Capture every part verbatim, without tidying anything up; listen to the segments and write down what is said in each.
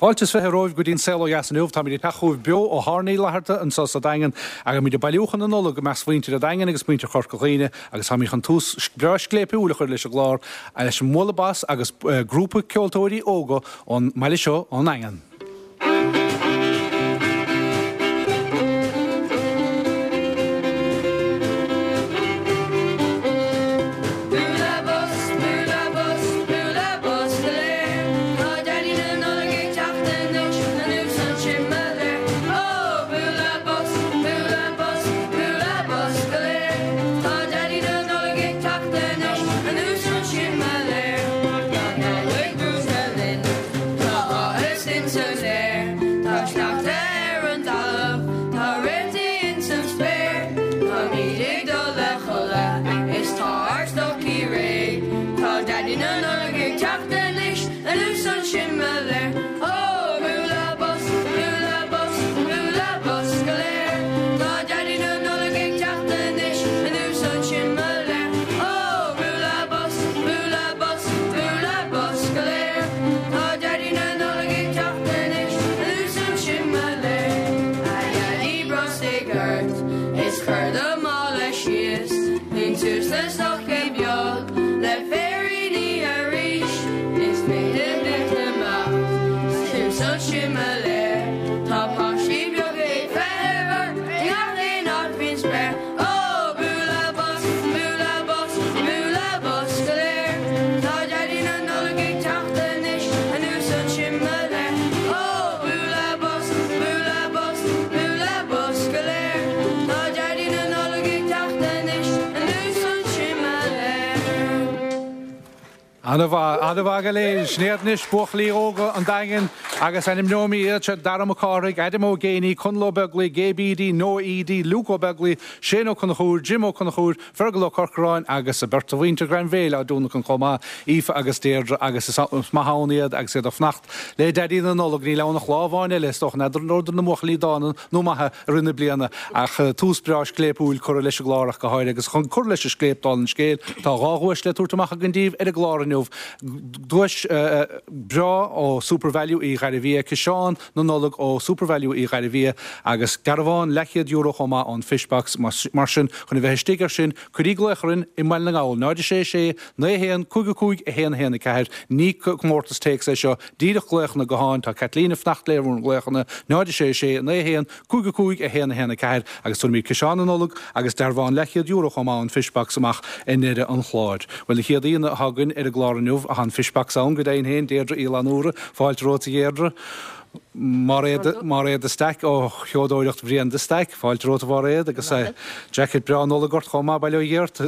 Fáilte is fiche romhaibh go dtí an Saol Ó Dheas inniu. Táimid ag teacht chugaibh beo ó Thairní Fhlatharta anseo sa Daingean agus muid ag bailiúchán na Nollag i measc mhuintir an Daingin agus muintir Chorca Dhuibhne agus táimid chun tús breá scléipiúil a chur leis an gclár leis an mBualadh Bos agus grúpa ceoltóirí óga ón mbaile seo ón nDaingean. Bualadh bos, bualadh bos, bualadh bos go léir. Tá Daidí na Nollag ag teacht anois, anuas an simléar. Ó, bualadh bos, bualadh bos, bualadh bos go léir. Tá Daidí na Nollag ag teacht anois, anuas an simléar. Tá Nollaig brúite linn, tá áthas ins an aer. Tá sneachta ar an talamh, tá réaltaí ins an spéir. Táimid ag dul a chodladh, is tá ár stocaí réidh. Tá Daidí na Nollag ag teacht anois, anuas an simléar. Ó, bualadh bos, bualadh bos, bualadh bos go léir. Tá Daidí na Nollag ag teacht anois, anuas an simléar. Ó, bualadh bos, bualadh bos, bualadh bos go léir. Tá Daidí na Nollag ag teacht anois, anuas an simléar. A Dhaidí brostaigh ort, is cuir do mhála síos, Líon suas na stocaí beag le féiríní arís. Is féidir leat amach suas an simléar. Tá páistí beaga ag feitheamh ort, i ngach aon áit faoin spéir. Ó, bualadh bos, bualadh bos, bualadh bos go léir. Tá Daidí na Nollag ag teacht anois, anuas an simléar. Ó, bualadh bos, bualadh bos, bualadh bos go léir. Tá Daidí na Nollag ag teacht anois, anuas an simléar. An-mhaith, an-mhaith go léir, sin iad anois buachaillí óga an Daingin agus ainmneoidh mé iad seo Dara Mac Cárthaigh, Adam Ó Géiní, Conall Ó Beaglaoi, Gabe Eady, Noah Eady, Luke Ó Beaglaoi, Shane Ó Conchúir, Jim Ó Conchúir, Fergal Ó Corcoráin agus a beirt mhuintir Ghrainbhéil á dúnachan chomh maith, Aoife agus Deirdre agus is maith ann iad agus iad ag fanacht le Daidí na Nollag níl ann ach lá amháin eile is dócha n'fheadar na buachaillí dána nó maithe i rith na bliana ach tús breá scléipiúil curtha leis an gclár ach go háirithe agus chun cur leis an scléip dála an scéil tá dhá dhuais le tabhairt amach againn daoibh ar an gclár inniu. Duais breá ó SuperValu Uí Ghairbhia, Ciseán na Nollag ó SuperValu Uí Ghairbhia agus dearbhán leathchéad euro chomh maith ón Fishbox mar sin chun a bheith istigh air sin cuirí glaoch orainn i mBaile na nGall náid sé sé naoi haon cúig cúig a haon haon a ceathair ní comórtas téacs é seo díreach glaochanna gutháin tá Kathleen ag fanacht le bhur nglaochanna náid sé sé naoi haon cúig cúig a haon haon a ceathair agus tugaimid ciseán na Nollag agus dearbhán leathchéad euro chomh maith ón Fishbox amach i ndeireadh an chláir. Well an chéad aíonna atá againn ar an gclár inniu a an Fishbox ann go deimhin féin Deirdre Uí Fhlannúra, fáilte romhat a Dheirdre. Máiréad Máiréad de Staic ó Sheodóireacht Bhrian de Staic, fáilte romhat a Mháiréad agus jacket breá Nollag ort chomh maith bail ó Dhia ort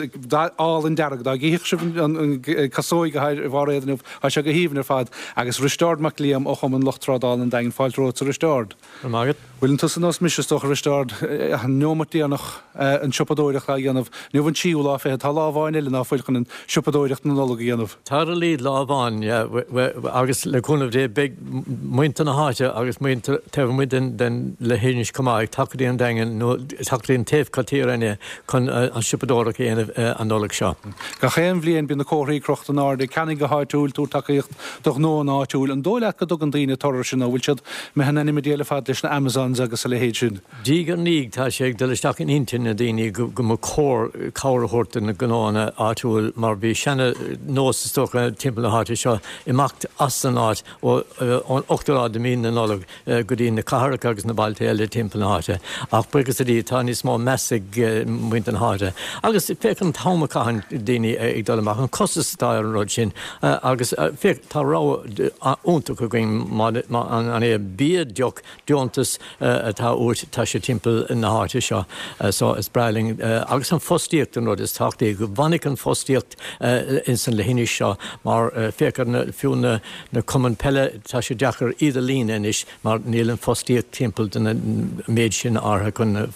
álainn dearg dá gcífeadh sibh an casóig a Mháiréad inniu tá sé go haoibhinn ar fad agus Risteárd Mac Liam ó Chumann Lucht Trádála an Daingin fáilte romhat a Risteárd. Mágad. Bhfuil an tusa nós mise dócha Risteárd an neomat déanach an siopadóireacht a dhéanamh, Inniu an tríú lá fichead tá lá amháin eile ná fuil chun an siopadóireacht na Nollag a dhéanamh. Tá líd lá amháin agus le cúnamh Dé beidh muintir na háite agus muintir taobh amuigh den den leithinis chomh maith ag teacht go dtí an Daingean nó teacht go dtí an taobh tíre inne chun an siopadóireacht a dhéanamh an Nollaig seo. Gach aon bhliain bíonn na comharthaí crochta in airde ceannaigh go háitiúil tabhair tacaíocht do ghnó an áitiúil an dóigh leat go dtugann daoine toradh sin nó bhfuil siad imithe in ainm a fad leis na Amazons agus a leithéid sin. Diaidh ar ndiaidh tá sé ag dul isteach in intinn na daoine go go mba chóir cabhair a thabhairt do na gnóanna áitiúil mar bhí seana nós is dócha timpeall na háite seo imeacht as an áit ón ochtú lá de mhí na Nollag go dtí na cathracha agus na bailte eile timpeall na háite. Ach buíochas le Dia tá níos mó meas ag muintir na háite. Agus féach an t-am a chaitheann daoine ag dul amach an costas atá ar an rud sin agus féach tá rogha iontach againn an é bia deoch deontas atá uait tá sé timpeall na háite seo so is breá linn agus an fostaíocht an rud is tábhachtaí go bhfanfaidh an fostaíocht ins an leithinis seo mar féach ar na fiú na na cumainn peile tá sé deacair iad a líonadh anois mar níl an fostaíocht timpeall den méid sin áirithe chun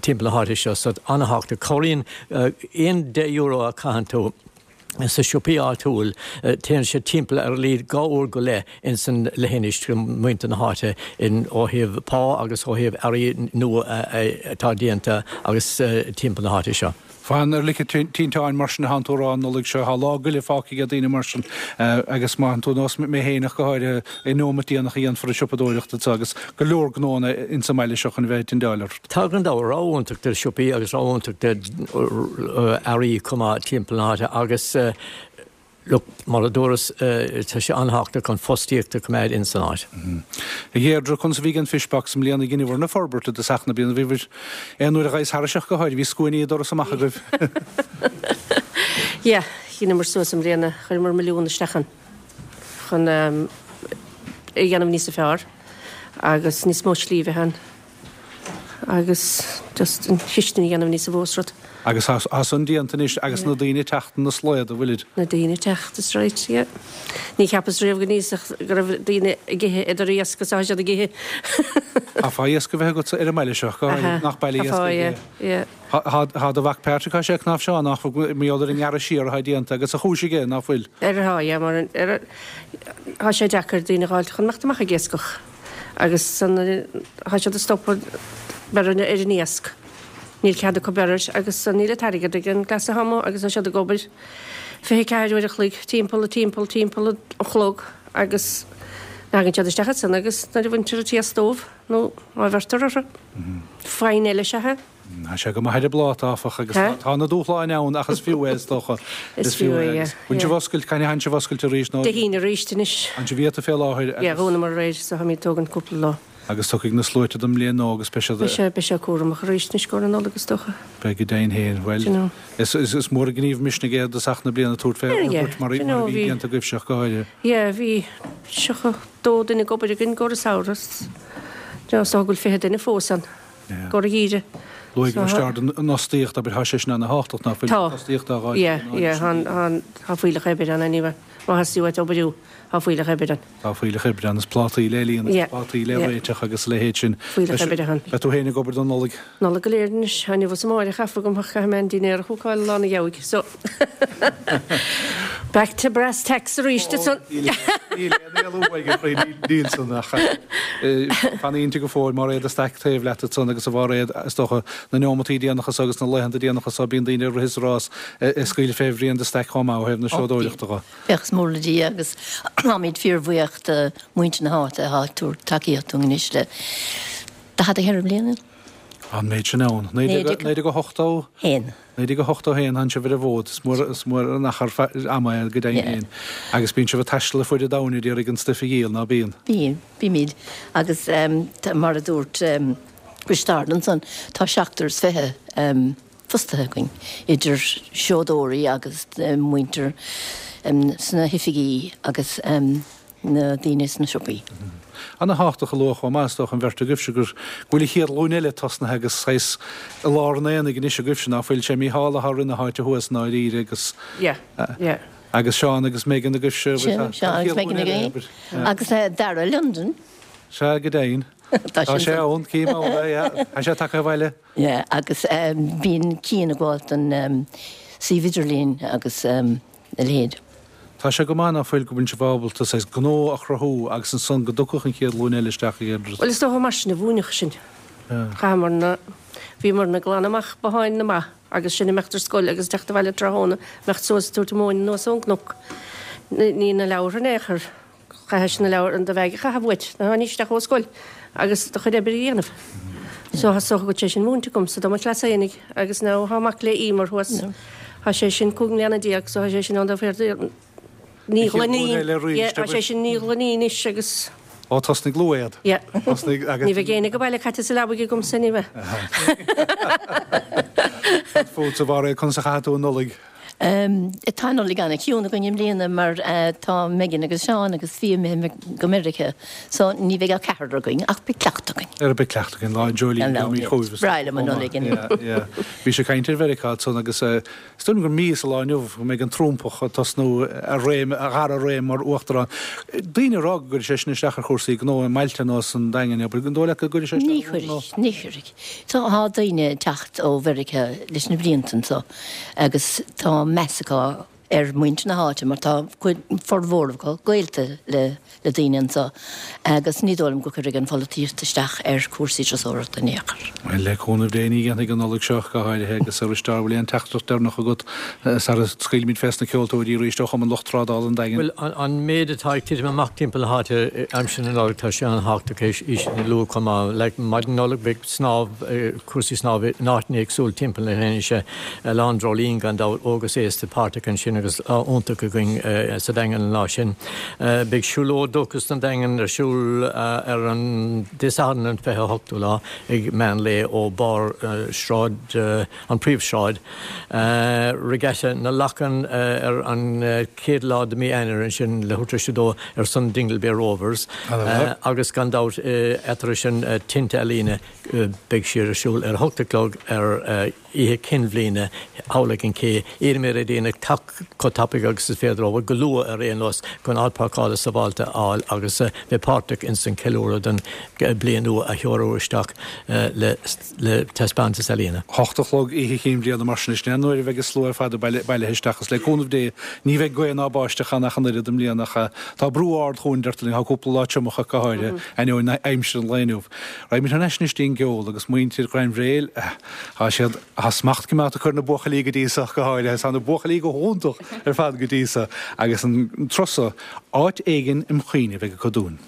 timpeall na háite seo so an-tábhachtach cabhraíonn aon deich euro a chaitheann tú sa siopaí áitiúil téann sé timpeall ar a laghad dhá uair go leith in san leithinis muintir na háite in ó thaobh pá agus ó thaobh earraí nua atá déanta agus timpeall na háite seo. Fan ar lice tinteáin mar sin atánn tú a rá an Nollaig seo, tá lá goile fágtha ag daoine mar sin agus má tú nós mé fhéineach go háirithe i nóimeat déanach a dhéanfar an siopadóireacht anseo agus go leor gnónna insa mbaile seo chun a bheith ag tindeáil ort. Tá gan dabht rogha iontach de siopaí agus rogha iontach de earraí chomh maith timpeall na háite agus Look, mar a dúras, tá sé an-tábhachtach an fostaíocht a choimeád in san áit. A Dheirdre, conas a bhí an Fishbox i mbliana dheineabhair na forbairt i dtosach na bliana? Bhí aon uair a ghaibhs thairis ach go háirithe, bhí scuainí ag doras amach agaibh. Yeah, dheineamar suas i mbliana, chuireamar milliún isteach ann chun é a dhéanamh níosa fearr agus níos mó slí a bheith ann. Agus just an chistin a dhéanamh níosa mhó is rud. Agus tá san déanta anois agus na daoine ag teacht ina slóda, bhfuilid? Na daoine ag teacht, is right, yeah. Ní cheapas riamh go n-íosfadh go raibh daoine ag ithe idir iasc agus atá siad ag ithe. Chaithfeá iasc a bheith agatsa ar an mbaile seo, go háirithe, nach baile iascaigh é. Yeah, yeah. Tá do mhac Patrick, tá sé ag cnáimhseáil, nach bhfuil, mar gheall ar an ngearradh siar atá déanta agus a chúis aige, ná fuil? Ar, tá, yeah, mar ar, tá sé deacair daoine a dh'fháilt chun imeacht amach ag iascach. Agus san tá siad ag stopadh beir ar an iasc. Níl cead acu beir air agus níl an t-airgead ag an gcleas atá amuigh agus tá siad ag obair fiche ceathair uair a chloig timpeall timpeall timpeall an chlog agus tagann siad isteach ansan agus nuair a bhaintear an t-iasc dóibh nó má bheirtear orthu. Fine eile is ea é. Tá sé go maith ar an bpláta, áfach, agus tá na dúshláin ann ach is fiú é, is dócha. Is fiú é, yeah. Bhfuil sibh oscailt, cathain a théann sibh oscailt arís nó? Dé hAoine arís anois. An sibh iata fé láthair agus. Yeah, dhúnamar aréir so táimid ag tógaint cúpla lá. Agus tiocfaidh na sluaite don mbliain nua agus beidh siad. Beidh sé, beidh sé cúramach arís anois i gcomhair na Nollag is dócha. Beidh go deimhin féin. Bhuel, Do you know. is, is, is mór an gníomh misnigh é i dtosach na bliana tabhairt fé fhorbairt mar, mar a bhí déanta agaibhse ach go háirithe. Yeah, bhí tríocha dó duine ag obair againn i gcomhair an samhradh. Do you know, is dócha go bhfuil fiche duine fós ann. Yeah. I gcomhair an gheimhridh. Luaigh Risteárd an fhostaíocht, abair, tá sé sin ana-thábhachtach, ná fuil? Tá. Fostaíocht á dh'fháil. Yeah, yeah, tá, tá, tá fuílleach oibre ann anyway. Má theastaíonn uait oibriú, tá fuílleach oibre ann. Tá fuílleach oibre ann, is plátaí le líonadh, Yeah, plátaí le yeah. réiteach agus a leithéid sin. Fuílleach oibre ann. Beidh tú féin ag obair don Nollaig? Nollaig go léir anois, inniu is amárach caithfidh agam ach caithfidh mé an dinnéar a chócáil lá na gheabhaidh, so Back to brass tacks arís ansan. Níl aon éalú uaidh, a chroí, níl san ach fan inti go fóill Máiréad Stack taobh leat ansan agus a Mháiréad, is dócha, na neomataí déanacha so agus na laethanta déanacha so bíonn daoine ag rith is ag rás ag scaoileadh fé bhruíon de staic chomh maith ó thaobh na seodóireachta dho. Buíochas mór le Dia agus táimid fíorbhuíoch de mhuintir na háite atá ag tabhairt tacaíocht dúinn anois le daichead a ceithre bliana. An méid sin ann. Naoi déag ochtó haon. Naoi déag ochtó haon tánn sibh ar an bhfód. Is mór, is mór an achar ama é go deimhin féin. Agus bíonn sibh ag taisteal ar fuaid an domhain ag iarraidh an stuif a dhíol, ná bíonn? Bíonn, bímid. Agus mar a dúirt Risteárd ansan, tá seachtar is fiche fostaithe againn, idir seodóirí agus muintir sna hoifigí agus. na daoine sna siopaí. Ana-thábhachtach a lua chomh maith, is dócha, an bheirt agaibhse, gur go bhfuil an chéad ghlúin eile tosnaithe agus saghas i lár an aonaigh anois agaibhse, ná fuil? Sé Mícheál atá i rith na háite thuas i ndáiríre agus Yeah, yeah. agus Seán agus Megan agaibhse, Sin, tá Seán an agus chéad Megan ghlúin eile, againn. abair. Agus Dara i Londain. Sea, go deimhin. Tá Tá sin sé ann, cím ann é, yeah. Tá sé tagtha abhaile. Yeah, agus bíonn Cian ag gabháil don suíomh idirlín agus a leithéid. Tá sé go maith ná fuil go bhfuil sibh ábalta saghas gnó a chruthú agus ansan go dtiocfadh an chéad ghlúin eile isteach ag iarraidh. Bhuel is dócha mar sin a mhúineadh sinn. Chaitheamarna, bhíomarna ag glanadh amach botháin na mba agus sinn ag imeacht ar scoil agus teacht abhaile tráthnóna, imeacht suas ag tabhairt an mhóin anuas ón gcnoc. Ní na leabhartha in aon chor. Chaithis na leabhair, do bheag a chaitheamh uait, nuair a tháinís isteach ó scoil agus do chuid oibre a dhéanamh. So is dócha go bhfuil sé sin múinte agam sa do mo chleas fhéinig agus now thá mac le Emer thuas, thá sé sin cúig mbliana déag so thá sé sin ann do féar naoi gcloinín, yeah, thá sé sin naoi gcloinín anois agus. Ó tosnaigh luath iad. Yeah. Tosnaigh agus. Ní bheidh éinne ag baile caite sa leabaidh agamsa ní bheidh. Cad fútsa a Mháiréad, conas a chaithfidh tú an Nollaig? Tá an Nollaig ana-chiúin againn i mbliana mar tá Megan agus Seán agus Fia imithe go Meiriceá so ní bheidh ach ceathrar againn ach beidh cleachtadh againn. Ar beidh cleachtadh againn lá Jolie Is breá liom an Nollaig inniu. Bhí sé ag caint ar Mheiriceá ansan agus is dóigh liom gur mí is a lá inniu go mbeidh an Trumpach ag tosnú a réim, a dhara réim mar uachtarán. Daoine ag rá go gcuirfidh sé sin isteach ar chúrsaí gnó i mbailte ar nós an Daingin, abair, an dóigh leat go gcuirfidh sé Ní isteach ar gnó? chuirfidh, ní chuirfidh. Tá daoine ag teacht ó Mheiriceá leis na blianta anso agus tá meas acu ar mhuintir na háite mar tá cuid formhór acu gaolta le le daoine anseo agus ní dóigh liom go gcuirfidh an pholaitíocht isteach ar chúrsaí turasóireachta in aon chor. Bhuel, le cúnamh Dé ní dhéanfaidh an Nollaig seo go háirithe agus a Risteáird bhfuil aon teachtaireacht deireanach agat sara scaoilfimid fés na ceoltóirí arís ó Chumann Lucht Trádála an Daingin? Bhuel, an méid atá ag titim amach timpeall na háite aimsir na Nollag tá sé an-thábhachtach é sin a lua chomh maith. Like maidin Nollag beidh snámh, cúrsaí snámha in áiteanna éagsúla timpeall na hInse, Oileán Dreoilín gan dabht, óg is aosta páirteach ansin agus lá iontach againn sa Daingean an lá sin. Beidh siúlóid Dóchas don Daingean ar siúl ar an Dé Sathairn an fiche a hochtú lá ag meán lae ó barr Sráid an Príomhshráid. Regatta na Lachan ar an chéad lá de mí Eanáir ansin leathuair tar éis a dó ar son Dingle Bay Rovers agus gan dabht eatarthu sin Tinte Ealaíne beidh siad ar siúl ar a hocht a chlog ar Oíche Chinn Bhliana thall ag an cé. Iarraim ar dhaoine teacht chomh tapaidh agus is féidir leo, go luath ar aon nós, chun áit páirceála sábháilte a fháil agus bheith páirteach ins an cheiliúradh don bliain nua a threorú isteach le taispeántas ealaíne. Hocht a chlog Oíche Chinn Bhliana mar sin, sin é an uair a bheidh an slua ar fad bailithe isteach agus le cúnamh Dé ní bheidh gaoth ná báisteach ann ach an oiread i mbliana ach tá brú ard chugainn deirtear linn, tá cúpla lá triomach ach go háirithe, ainneoin aimsir an lae inniu. Raghaimid thar n-ais anois dtí'n gceol agus muintir Ghrainbhréil, tá siad, tá smacht coimeádta acu ar na buachaillí go dtí so ach go háirithe, tá na buachaillí go hiontach ar fad go dtí so agus an turas so, áit éigin im chuimhne a bheidh acu dúinn.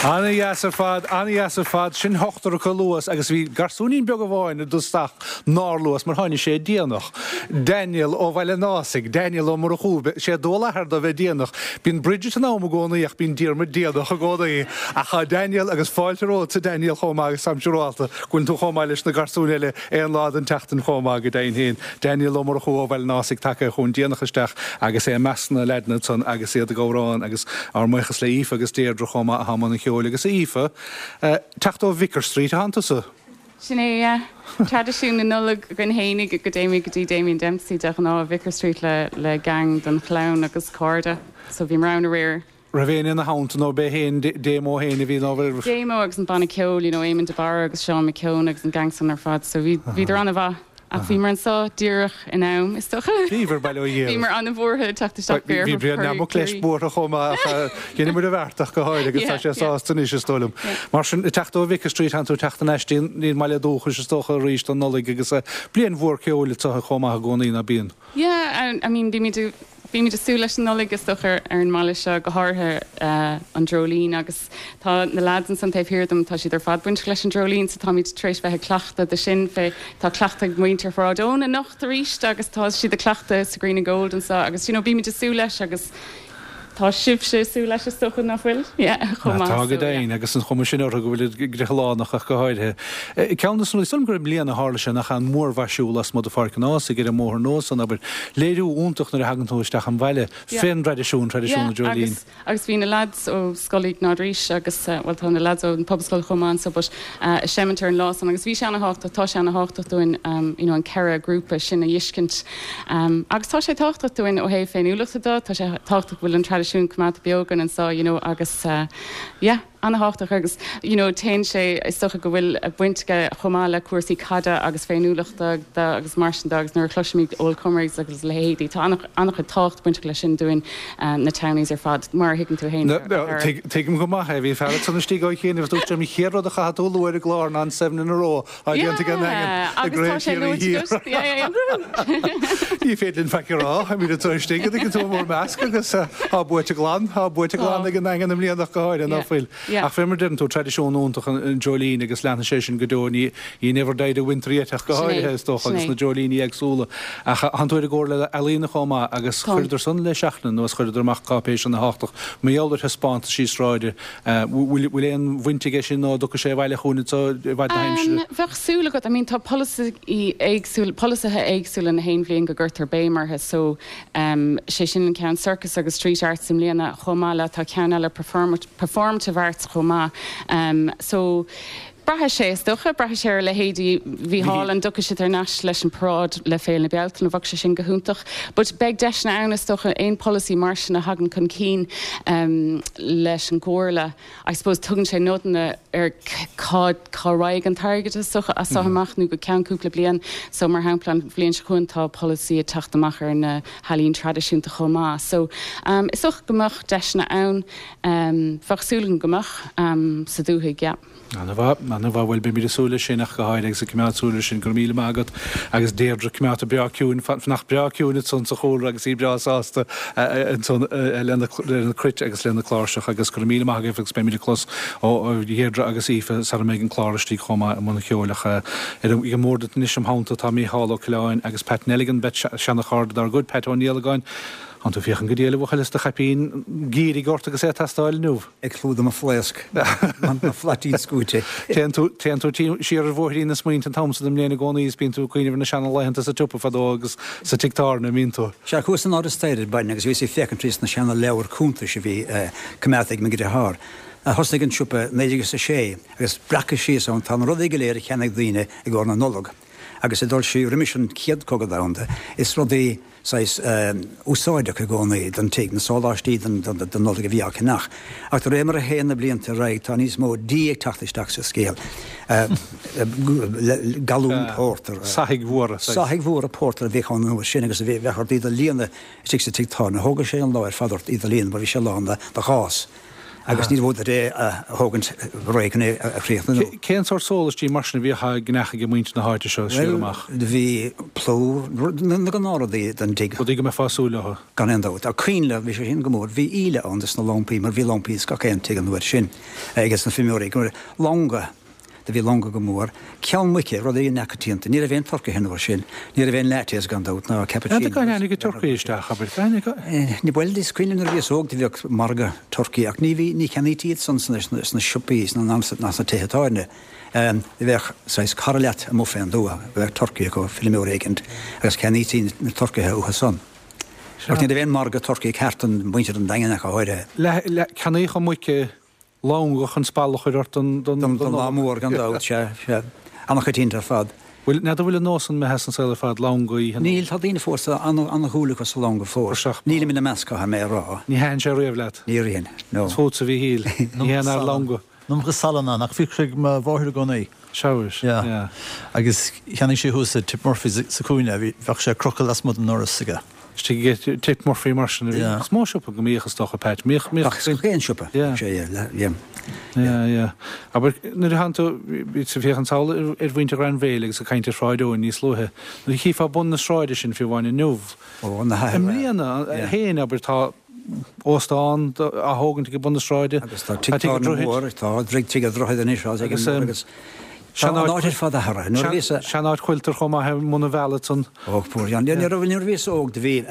Ana-dheas ar fad, ana-dheas ar fad. Sin ochtar acu a luas agus bhí garsúinín beag amháin i dtosach nár luas mar tháinig sé déanach. Daniel ó Bhaile an Ásaigh, Daniel Ó Murchú, sé dual a athar dó bheith déanach. Bíonn Bridget in am i gcónaí ach bíonn Diarmuid déanach i gcónaí. Ach tá Daniel agus fáilte romhat a Daniel chomh maith agus táim siúrálta go bhfuil tú chomh maith leis na garsúin eile aon lá den tseachtain chomh maith go deimhin féin. Daniel Ó Murchú ó Bhaile an Ásaigh tagtha chugainn déanach isteach agus é i measc na leaideanna ansan agus iad ag amhrán agus ár mbuíochas le Aoife agus Deirdre chomh maith atá i mbun an cheoil agus a Aoife, teacht ó Vicar Street atánn tusa? Sin é, yeah. Traidisiún na Nollag againn fhéinig go dtéimid go dtí Damien Dempsey de ghnáth i Vicar Street le le gang den chlann agus cairde. So bhíomar ann aréir. Raibh éinne ina theannta nó b'é féin Damo féin a bhí nó bhí. Damo agus an banna ceoil, you know, Éamon de Barra agus Seán McKeown agus an gang san ar fad. So bhí bhíodar an-mhaith. Ach bhíomar anseo díreach in am, is dócha. Bhíobhair, bail ó Dhia oraibh. Bhíomar an-bhuartha ag teacht isteach go Bhí Brian Nammock leis buartha chomh maith ach dheineamar a bheart ach go háirithe agus tá sé sásta anois is dóigh liom. Mar sin, ag teacht ó Vicar Street tánn tú ag teacht thar n-ais dtí an mbaile dúchais is dócha arís don Nollaig agus bliain mhór ceoil anseo chomh maith i gcónaí, ná bíonn? Yeah, I mean bímid ag Bímid ag súil leis an Nollaig is dócha ar an mbaile seo, go háirithe an Dreoilín agus tá na lads ansan taobh thiar dom, tá siad ar fad bainteach leis an Dreoilín so táimid tar éis bheith ag cleachtadh do sin fé, tá cleachtadh ag muintir Shráid Eoin anocht arís agus tá siad ag cleachtadh sa Green and Gold anseo agus you know bímid ag súil leis agus tá sibhse ag súil leis is dócha nach bhfuil? Yeah, chomh maith. Tá go deimhin agus an chuma sin orthu go bhfuil griothálánach ach go háirithe. Ceann de na rudaí, is dóigh liom gur i mbliana a tharla sé nach an mórmhaisiú lasmuigh de Pháirc an Ághasaigh ar an mbóthar nua san, abair, léiriú iontach nuair a thagann tú isteach an bhaile fén dtraidisiún, traidisiún na dreoilín. Agus, agus bhí na lads ó Scoil Iognáid Rís agus, bhuel tá na lads ón Pobalscoil chomh maith anso but ag seimint ar an lá san agus bhí sé ana-thábhachtach, tá sé ana-thábhachtach dúinn you know an ceithre grúpa sin a fheiscint. Agus tá sé tábhachtach dúinn ó thaobh féiniúlachta de, tá sé tábhachtach go bhfuil an traidisiún coimeádta beo againn anseo you know agus yeah ana-thábhachtach agus you know téann sé is dócha go bhfuil baint aige chomh maith le cúrsaí caide agus féiniúlachta de agus mar sin de agus nuair a chloisimid Old Comrades agus a leithéidí tá an-chuid tábhacht bainteach leis sin dúinn na townies ar fad mar a thuigeann tú féin. Tuigim go maith é, bhí fear ansan istigh ó chianaibh agus dúirt sé an chéad rud a chaithfidh tú a lua ar an gclár ná an seven in a row á déanta ag an nDaingean i gCraobh Chiarraí Thiar. Ní féidir linn faic a rá, táimid anseo istigh an dtuigeann tú i bhur measc agus tá buaite glan, tá buaite glan ag an nDaingean i mbliana ach go háirithe, ná fuil? Ach fé mar a deireann tú, traidisiún iontach an dreoilín agus leanfaidh sé sin go deo, ní he never died a winter yet ach go háirithe is dócha agus na dreoilíní éagsúla. Ach tánn tú ar an gComhairle Ealaíona chomh maith agus chuireadar san le seachtain anuas, chuireadar amach cáipéis ana-thábhachtach mar gheall ar thaispeántaisí sráide. Bhfuil bhfuil aon bhaint aige sin nó an dtiocfaidh sé abhaile chugainn anseo i bhfad na haimsire? Bheadh súil agat, I mean tá polasaí éagsúil, polasaithe éagsúla na haon bhliain go gcuirtear béim orthu so sé sin an ceann Circus agus Street Arts i mbliana chomh maith le tá ceann eile Performative Arts chomh maith so braithfidh sé is dócha, braithfidh sé ar leithéidí Mhícheál an dtiocfaidh siad thar n-ais leis an paráid le Féile na Bealtaine, bheadh sé sin go hiontach but beidh deiseanna ann is dócha aon polasaí mar sin a thagann chun cinn leis an gComhairle I suppose tugann sé nodanna ar cá cá raghaidh an t-airgead is dócha as seo amach nó go ceann cúpla bliain so mar shampla an bhliain seo chugainn tá polasaí ag teacht amach ar na healaín traidisiúnta chomh maith so is dócha go mbeadh deiseanna ann bheadh súil agam go mbeadh sa dúthaigh yeah. Ana-mhaith, ana-mhaith. Bhuel, beimid ag súil leis sin ach go háirithe agus ag coimeád súil air sin. Go raibh míle maith agat agus Deirdre, coimeádta breá ciúin, fanacht breá ciúin ansan sa chúlra agus í breá sásta ansan lena lena cruit agus lena cláirseach agus go raibh míle maith agaibh agus beimid ag clos ó Dheirdre agus Aoife sara mbeidh an clár istigh chomh maith i mbun cheoil ach ar an mbord anois im theannta tá Mícheál Ó Coileáin agus Pat Nelligan, beirt seana-chairde dár gcuid, Pat Ó Niallagáin. Tánn tú ag féachaint go diail a bhuachaill is do chaipín geimhridh ort agus é ag teastáil inniu. Ag clúdach mo phléasc, mo phlaitín scúite. Téann tú, téann tú siar ar bhóithrín na smaointe an t-am san den mbliain i gcónaí is bíonn tú ag cuimhneamh ar na seana-laethanta sa tsiopa fadó agus sa tigh tábhairne, an mbíonn tú? Sea, chuas san Áras Staire ar maidin agus bhíos ag féachaint thríos na seana-leabhair cuntais a bhí coimeádta ag mo dheartháir. Thosnaigh an siopa naoi déag is a sé agus breactha síos ann tá na rudaí go léir a cheannaigh daoine i gcomhair na Nollag agus ag dul siar roimis an Chéad Cogadh Domhanda is rudaí saghas úsáideach i gcónaí don tigh, na sóláistí don Nollaig a bhí á ceannach. Ach de réir mar a théann na blianta ar aghaidh tá níos mó dí ag teacht isteach sa scéal. Galún pórtair. Soithigh mhóra. Soithigh mhóra pórtair a bhíodh ann an uair sin agus a bheadh ort iad a líonadh istigh sa tigh tábhairne. Thógadh sé an lá ar fad ort iad a líonadh mar bhí sé lán de ghás. Agus ní raibh uait é a thógaint réidh chun é a chríochnú. Cén sórt sólaistí mar sin a bhíodh á gceannach ag muintir na háite seo siar amach? Bhuel, bhí plúr, na gnáthrudaí don tigh. Rudaí go mbeifeá ag súil leo. Gan aon dabht. Ach coinnle, bhí sé sin go mór. Bhí íle ann dos na lampaí, mar bhí lampaí ins gach aon tigh an uair sin, ages na feirmeoirí. Longa. Do bhí longa go mór. Ceann muice, rudaí neamhchoitianta. Ní raibh aon turcaithe an uair sin. Ní raibh aon lattes gan dabht, ná cappuccino. N'fheadar cá dtáinig an turcaí isteach, abair. Cá dtáinig an. Ní, bhuel, is cuimhin liom nuair a bhíos óg do bhíodh margadh turcaí ach ní bhí, ní cheannaítí iad san sna, sna siopaí sna, ná sna tithe tábhairne. Bheadh saghas cara leat amuigh fén dtuath, bheadh turcaí acu, feirmeoir éicint, agus cheannaítí na turcaithe uathu san. Ach ní raibh aon margadh turcaí ceart don mhuintir an Daingin ach go háirithe. Le, le, ceannaíodh an muice longa chun spalla a chur ort don Don lá mór, gan dabht, sea, sea. An-choitianta ar fad. Bhfuil, n'fheadar bhfuil an nós san imithe as an saol ar fad, longa oíche Nollag? Níl, tá daoine fós, tá an-dhúil acu sa longa fós. Nílim ina measc, caithfidh mé a rá. Ní thaitin sé riamh leat? Níor ritheann, no. Is fútsa a Mhíchíl, ní haon fhear longa. An iomarca salann ann, ach bhíodh sé ag mo mháthair i gcónaí. Sea, Yeah. yeah. Agus cheannaigh sí thuas i Tip Murphy's sa chúinne, bhí, bheadh sé ag crochadh lasmuigh den ndoras aige. Istigh ag Tigh Murphy mar sin a bhí. Is mó siopa go mbíodh is dócha, Pat. Mbíodh, mbíodh. Ach is aon siopa. Yeah. Sé, yeah, yeah. Yeah, yeah. Abair, nuair a tánn tú, bhí tú ag féachaint sall ar ar mhuintir Ghrainbhéile agus ag caint ar Shráid Eoin níos luaithe, nuair a chífeá bun na sráide sin fiú amháin inniu. Ó, na I hathair. mbliana Yeah. féin, abair, tá óstán á thógaint ag bun na sráide. Agus tá tigh tábhairne mór, tá tigh an Droichid anois, agus agus tá an áit ar fad athraithe. Nuair a bhíos Sean-áit Quilter chomh maith i mbun an bhealaigh ansan. Ó, poor John. Nuair a bhíos óg do bhí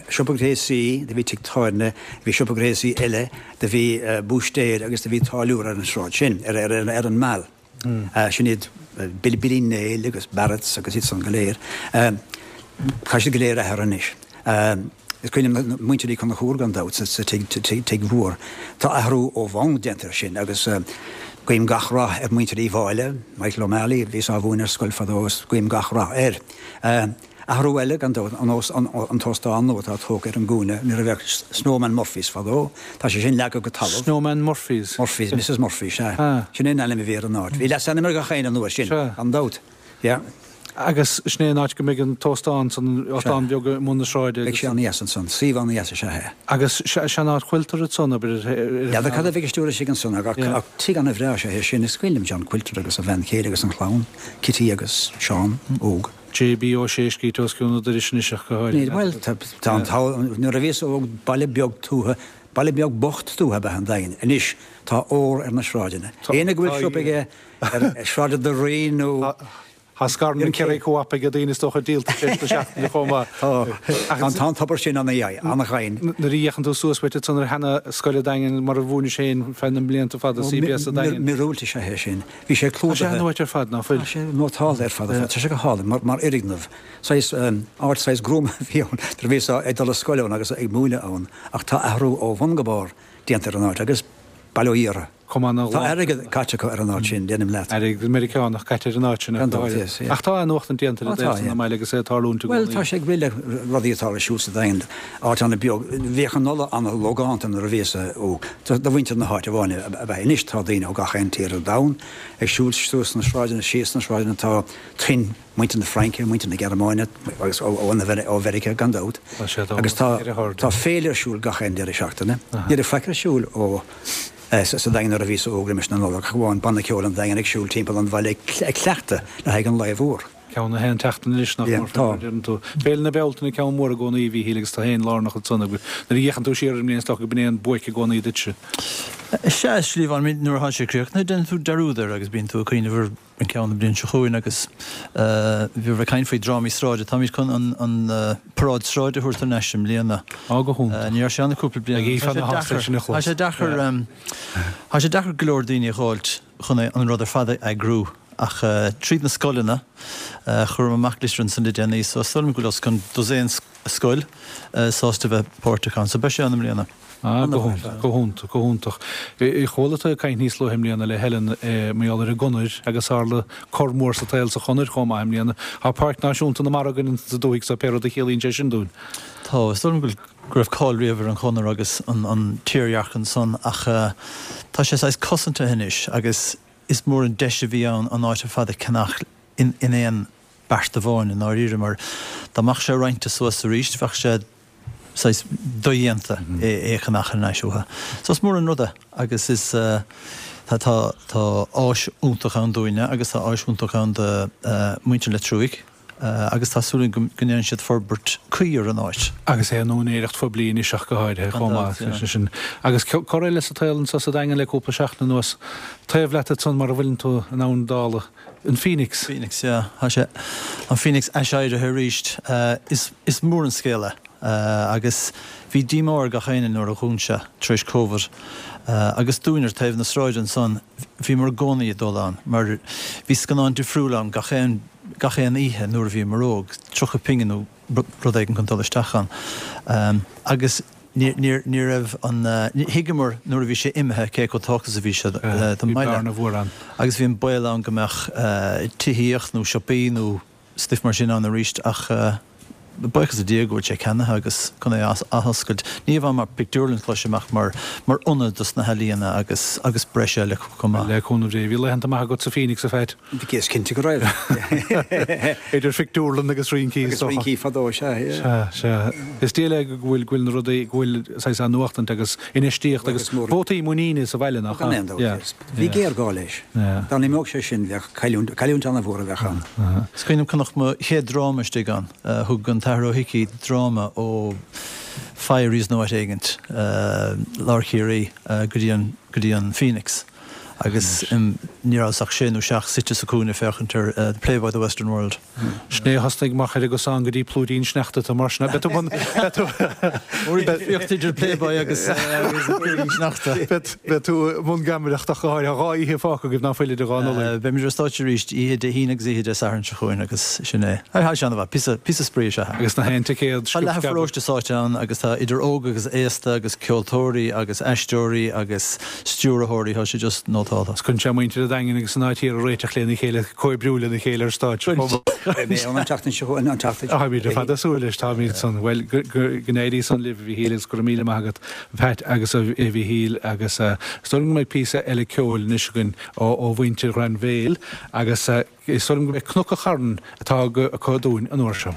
siopa gréasaí, do bhí tigh tábhairne, bhí siopa gréasaí eile, do bhí búistéir agus do bhí táilliúir ar an sráid sin, ar ar an Meal. Sin iad Billy Billy Néill agus Barretts agus iad san go léir. Tá siad go léir athraithe anois. Is cuimhin liom muintir Uí Chonchúir gan dabht sa tigh mhór. Tá athrú ó bhonn déanta air sin agus guím gach rath ar mhuintir Uí Mháille, Michael O'Malley, bhíos á mhúineadh ar scoil fadó agus guím gach rath air. Athrú eile gan dabht an t-óstán nua atá tógtha ar an gcúinne nuair a bheadh Snowman Murphy's fadó, tá sé sin leagtha go talamh. Snowman Murphy's? Murphy's, Missus Murphy, sea. Sin é an ainm a bhí ar an áit. Bhí leasainm ar gach éinne an uair sin, gan dabht. Yeah. Agus sin é an áit go mbeidh an t-óstán san, óstán beag i mbun na sráide. Beidh sé an-dheas ansan, suíomh an-dheas is ea é. Agus sean-áit Quilter ansan, abair, ar an. N'fheadar cad a bheidh istigh istigh ansan ach ach tigh an-bhreá is ea é sin. Is cuimhin liom John Quilter agus a bhean chéile agus an chlann, Kitty agus Seán óg. JB Ó Sé scríte os cionn an dorais anois ach go háirithe. Níl, bhuel, tá tá an t-am, nuair a bhíos óg, baile beag tuaithe, baile beag bocht tuaithe ab ea an Daingean. Anois tá ór ar na sráideanna. Éinne go bhfuil siopa aige ar Sráid an Rí nó. Tá scaireanna Kerry Co-op ag daoine is dócha díolta tar éis na seachtaine chomh maith. Tá an tá an tobar sin an-ghainn. Nuair a fhéachann tú suas uait ansan ar sheana scoil an Daingin mar a mhúinis féin feadh na mblianta fada, CBS an Daingin. Míorúilt is ea é sin. Bhí sé Tá sé clúdaithe. an-uait ar fad, ná fuil? Tá sé nótálta ar fad ar fad. Tá sé go hálainn mar mar fhoirgneamh. Saghas áit saghas gruama a bhí ann nuair a bhíos ag dul a scoile ann agus ag múineadh ann ach tá athrú ó bhun go barr déanta ar an áit agus bail ó Dhia orthu. Cumann na Tá airgead caite acu ar an áit sin, déanaim leat. Airgead Meiriceánach caite ar an áit sin. Gan dabht, yes, yeah. Ach tá athnuachtaint déanta Ó, le tá, daofa yeah. na mbaile agus é ag tarlúint i Bhuel, gcónaí. tá sé ag rith le rudaí atá ar siúl sa Daingean, áit an-bheag. Bhíodh an Nollaig an-logánta nuair a bhíos óg. Do mhuintir na háite amháin ab ea. Anois tá daoine ó gach aon tír ar domhan ag siúl suas na sráideanna, síos na sráideanna. Tá tuin muintir na Fraince, muintir na Gearmáine agus ó ó Mheiriceá gan dabht. Tá sé Agus tá ar a hord. tá féile ar siúl gach aon deireadh seachtaine. Ní raibh faic ar siúl ó sa Daingean nuair a bhíos óg roimis na Nollag, ach amháin banna ceoil an Daingin ag siúl timpeall an bhaile ag cleachtadh le haghaidh an lae mhór. Ceann a haon tseachtain anois nach mór Tá. deireann tú. Féile na Bealtaine ceann mór i gcónaí a Mhíchíl agus tá féin lárnach ansan agus nuair a fhéachann tú siar ar an mbliain is dócha go b'in é an buaic i gcónaí duitse. Sea, a Shliabháin, nuair atá sé críochnaithe, déanann tú dearúd air agus bíonn tú ag cuimhneamh ar an ceann an bhliain seo chugainn agus bhí ag caint faoi drámaí sráide. Táimid chun an an paráid sráide a thabhairt thar n-ais i mbliana. Á go hiontach. Ní raibh sé ann le cúpla bliain. Ag Aoife na hásta sin a chlos. Tá sé deacair Tá sé deacair go leor daoine a dh'fháilt chun an rud ar fad a eagrú ach tríd na scoileanna chuir amach litir ansan le déanaí so is dóigh liom go bhfuil os cionn dosaen scoil sásta bheith páirteach ann so beidh sé ann i mbliana. Ah, go hiontach, go hiontach, go hiontach. Chuala tú ag caint níos luaithe i mbliana le Helen mar gheall ar an gConair agus tharla cor mór sa tsaol sa Chonair chomh maith i mbliana. Tá Páirc Náisiúnta na Mara againn sa dúthaigh so pé rud a chiallaíonn sé sin dúinn. Tá, is dóigh liom go go raibh cáil riamh ar an Chonair agus an an tírdhreach ansan ach tá sé saghas cosanta anois agus is mór an deis a bhí ann an áit ar fad a cheannach in in aon beart amháin i ndáiríre mar dá mbeadh sé roinnte suas arís bheadh sé saghas dodhéanta é a cheannach thar n-ais uathu. So is mór an rud é agus is tá tá tá áis iontach ann dúinne agus tá áis iontach ann do muintir Leitir Frúich agus tá súil againn go ndéanann siad forbairt cuí ar an áit. Agus é in úinéireacht phoiblí anois ach go háirithe chomh maith leis sin. Agus cor eile sa tsaol anseo sa Daingean le cúpla seachtain anuas, taobh leat ansan mar a bhfuileann tú in Abhainn Dála, an Phoenix. Phoenix, yeah. Tá sé, an Phoenix aiséirithe arís. Is, is mór an scéal é. Agus bhí díomá ar gach éinne nuair a dhún sé tar éis Covid. Agus dúinn ar taobh na sráide ansan, bhíomar i gcónaí ag dul ann mar bhí scannán difriúil ann gach aon gach aon oíche nuair a bhíomar óg, tríocha pingin nó rud éigin chun dul isteach ann. Agus ní ní ní raibh an thuigeamar nuair a bhí sé imithe cé chomh tábhachtach is a bhí sé don Bhí mbaile. bearna mhór ann. Agus bhí an baol ann go mbeadh tithíocht nó siopaí nó stuif mar sin ann arís ach Buíochas le Dia go bhfuil sé ceannaithe agus chun é a athoscailt, ní amháin mar pictiúrlann cloisim ach mar mar ionad dos na healaíona agus agus breis eile chomh maith. Le cúnamh Dé, bhí laethanta maithe agat sa Phoenix, a Phat. Bhí, is cinnte go raibh. Idir phictiúrlann agus rincí is dócha. Agus rincí fadó, sea, yeah. Sea, sea. Is diail é go bhfuil go bhfuil na rudaí, go bhfuil saghas athnuachtaint agus infheistíocht agus vótaí muiníne sa bhaile, nach ea? Gan aon dabht. Bhí géarghá leis. Dá n-imeodh sé sin, bheadh cailliúint, cailliúint an-mhór a bheadh ann. Is cuimhin liom chonac mo chéad dráma istigh ann. Thug an tAthair Ó hIcí dráma ó Firies nó áit éigint, lár Chiarraí, go dtí an, go dtí an Phoenix agus ní rabhas ach sé nó seacht suite sa chúinne ag féachaint ar The Playboy of the Western World. Sin é a thosnaigh mar chuir an gosán go dtí Plúidín Sneachta tú mar sin. Beidh tú bun, beidh tú. Difríocht idir Playboy agus Plúidín Sneachta. Beidh tú i mbun geamaireachta ach go háirithe. Dhá oíche fágtha agaibh ná fuil idir dhá Nollaig. Beimid ar stáitse arís oíche Dé hAoine agus oíche Dé Sathairn seo chugainn agus sin é. Tá sé an-mhaith. Píosa, píosa spraoi is ea é. Agus na haon ticéad Tá leath an pharóiste sáite ann agus tá idir óg agus aosta agus ceoltóirí agus aisteoirí agus stiúrthóirí, tá sé just nótálta. Is cuireann sé muintir an Daingin agus an áit thiar ag réiteach lena chéile, comhoibriú lena chéile ar stáitse chomh maith. Beidh mé ann an tseachtain seo chugainn, an tseachtain seo. Táimid ar fad ag súil leis, táimid san. Bhuel, go n-éirí san libh, a Mhíchíl, agus go raibh míle maith agat, a Phat agus a Mhíchíl, agus is dóigh liom go mbeidh píosa eile ceoil anois againn ó mhuintir Ghrainbhéil agus is dóigh liom go mbeidh Cnoc an Chairn atá acu dúinn an uair seo.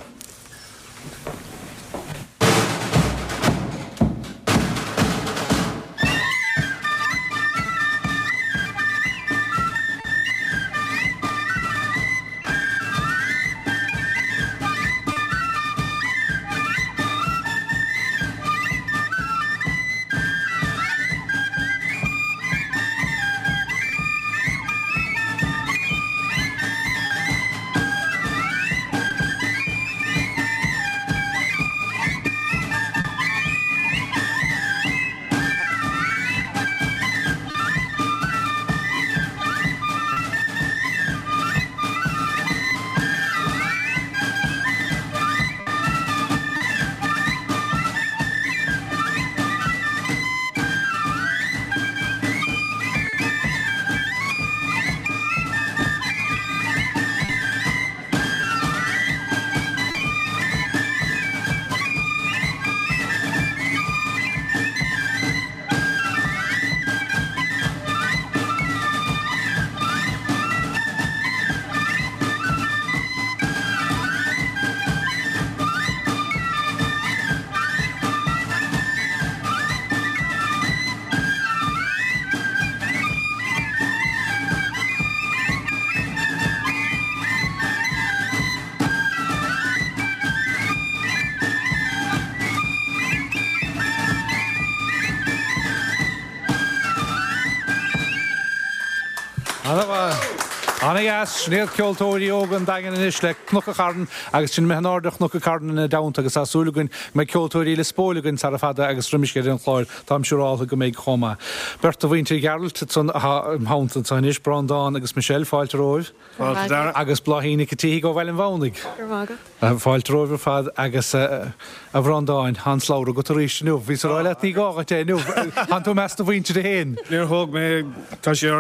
Ana-dheas, sin iad ceoltóirí óga an Daingin anois le Cnoc an Chairn agus sinn imithe in airde Chnoc an Chairn ina dteannta agus tá súil againn go mbeidh ceoltóirí Lios Póil againn sara fada agus roimis dheireadh an chláir, táim siúráltha go mbeidh chomh maith. Beirt de mhuintir Ghearailt ansan atá im theannta anseo anois, Breandán agus Michelle, fáilte romhaibh. Fáilte Dara. Agus Bláithín Nic an tSíthigh ó Bhaile an Mhamhnaigh. Go raibh maith agat. Fáilte romhaibh ar fad agus a Bhreandáin, tá an slabhra agat arís inniu. Bhíos ag rá leat ní gá dhuit é inniu. Tánn tú i measc do mhuintire féin. Níor thóg mé, tá sé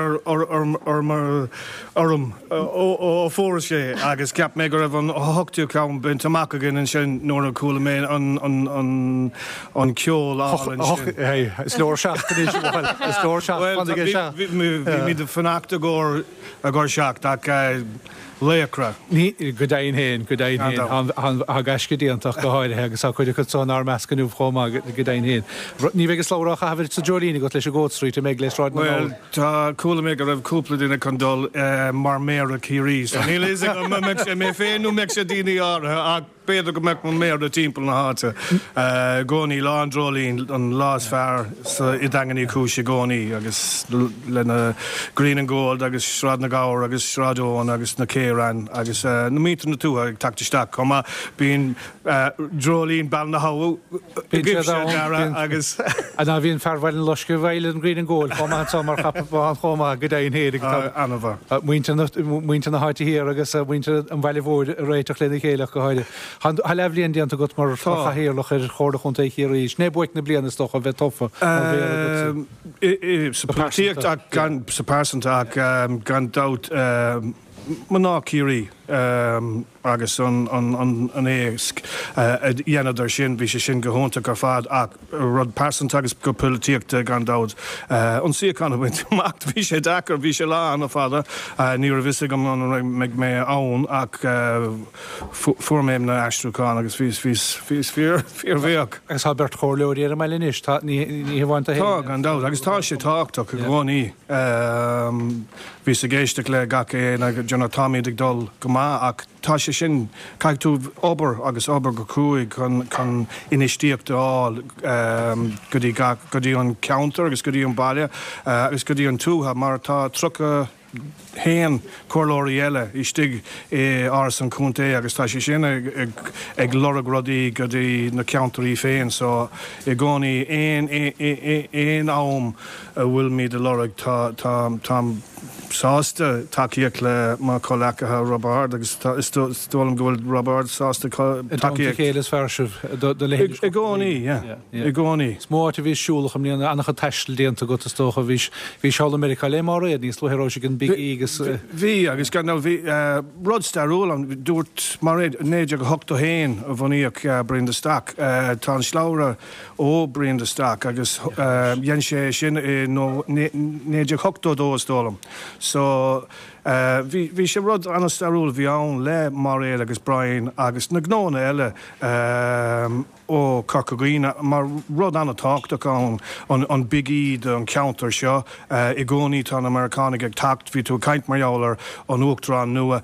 orm ó fuaireas é agus cheap mé go raibh an hochtú ceann bainte amach againn ansin nuair a chuala mé an ceol álainn sin. Is leor seacht anois, is leor seacht, fan ag seacht. Bhímid ag fanacht i gcomhair i gcomhair seacht ach laochra. Go deimhin féin, go deimhin féin. Tá gaisce déanta ach go háirithe agus tá cuid acu so inár measc inniu chomh maith, go deimhin féin. Ní bheidh an slabhra á chaitheamh sa Dreoilín agat leis an gCoat Street, an mbeidh, le Sráid na Bhuel, nGall? tá, chuala mé go raibh cúpla duine chun dul mar Méara Chiarraí so níl a fhios agam an mbeidh sé mé féin nó mbeidh sé daoine áirithe ach B'fhéidir go mbeadh mo mhéara timpeall na háite i gcónaí. Lá an Dreoilín an lá is fearr sa i nDaingean Uí Chúis i gcónaí agus le na Green and Gold agus Sráid na nGabhar agus Sráid Eoin agus na Céireann agus na muintir na tuaithe ag teacht isteach chomh maith. Bíonn Dreoilín Bheal na hAbha agaibhse a Dhara agus. Ná bhíonn fear Bhaile an Loiscthe i bhfeighil an Green and Gold chomh maith anso mar chapall chomh maith go deimhin féin ag An-mhaith. Muintir na háite thiar agus muintir an bhaile mhóir ag réiteach lena chéile ach go háirithe. Tá leathbhliain déanta agat mar chathaoirleach ar Chomhairle Chontae Chiarraí. Sin é buaic na bliana is dócha a bheith tofa mar mhéara agatsa. Sa pholaitíocht ach gan, sa pearsanta ach gan dabht Mná Ciarraí agus an an éasc a dhéanadar sin, bhí sé sin go hiontach ar fad ach rud pearsanta agus go polaitíochta gan dabht. An suíochán a bhaint amach, bhí sé deacair, bhí sé lá an-fhada, ní raibh fhios agam an mbeidh mé ann ach fuair mé na aistriúcháin agus bhíos bhíos bhíos fíor fíorbhuíoch. Agus tá beirt chomhairleoirí ar an mbaile anois, tá ní ní hamháin tú féin. Tá, gan dabht, agus tá sé tábhachtach i gcónaí. Bhíos ag éisteacht le gach aon do you know táimid ag dul go maith ach tá sé sin, caithfidh tú obair agus obair go cruaidh chun chun infheistíocht a fháil go dtí gach, go dtí an ceantar agus go dtí an baile agus go dtí an tuath mar tá tríocha haon comhairleoirí eile istigh i Áras an Chontae agus tá sé sin ag ag ag lorg rudaí go dtí na ceantairí féin so i gcónaí aon aon am a bhfuilimid a lorg tá tá táim sásta tacaíocht le mo chomhleacaithe Roibeárd agus tá is dóigh liom go bhfuil Roibeárd sásta tacaíocht. chéile is fearr sibh do do leithéid. I gcónaí, yeah. I gcónaí. Is mó áit a bhís siúlach i mbliana, an-chuid taistil déanta agat is dócha. Bhís bhís thall i Meiriceá le Máiréad níos luaithe raibh sí ag an Big E agus. Bhí agus gan dabht bhí rud stairiúil ann, dúirt Máiréad, naoi déag a hocht a haon a bhunaíodh Brian de Staic. Tá an slabhra ó Brian de Staic agus dhein sé é sin i naoi déag ochtó dó is dóigh liom. So bhí bhí sé rud an-stairiúil a bhí ann le Máiréad agus Brian agus na gnónna eile ó Corca Dhuibhne mar rud an-tábhachtach ann an an Big E don cheantar seo. I gcónaí tá na Meiriceánaigh ag teacht, bhí tú ag caint mar gheall ar an Uachtarán nua,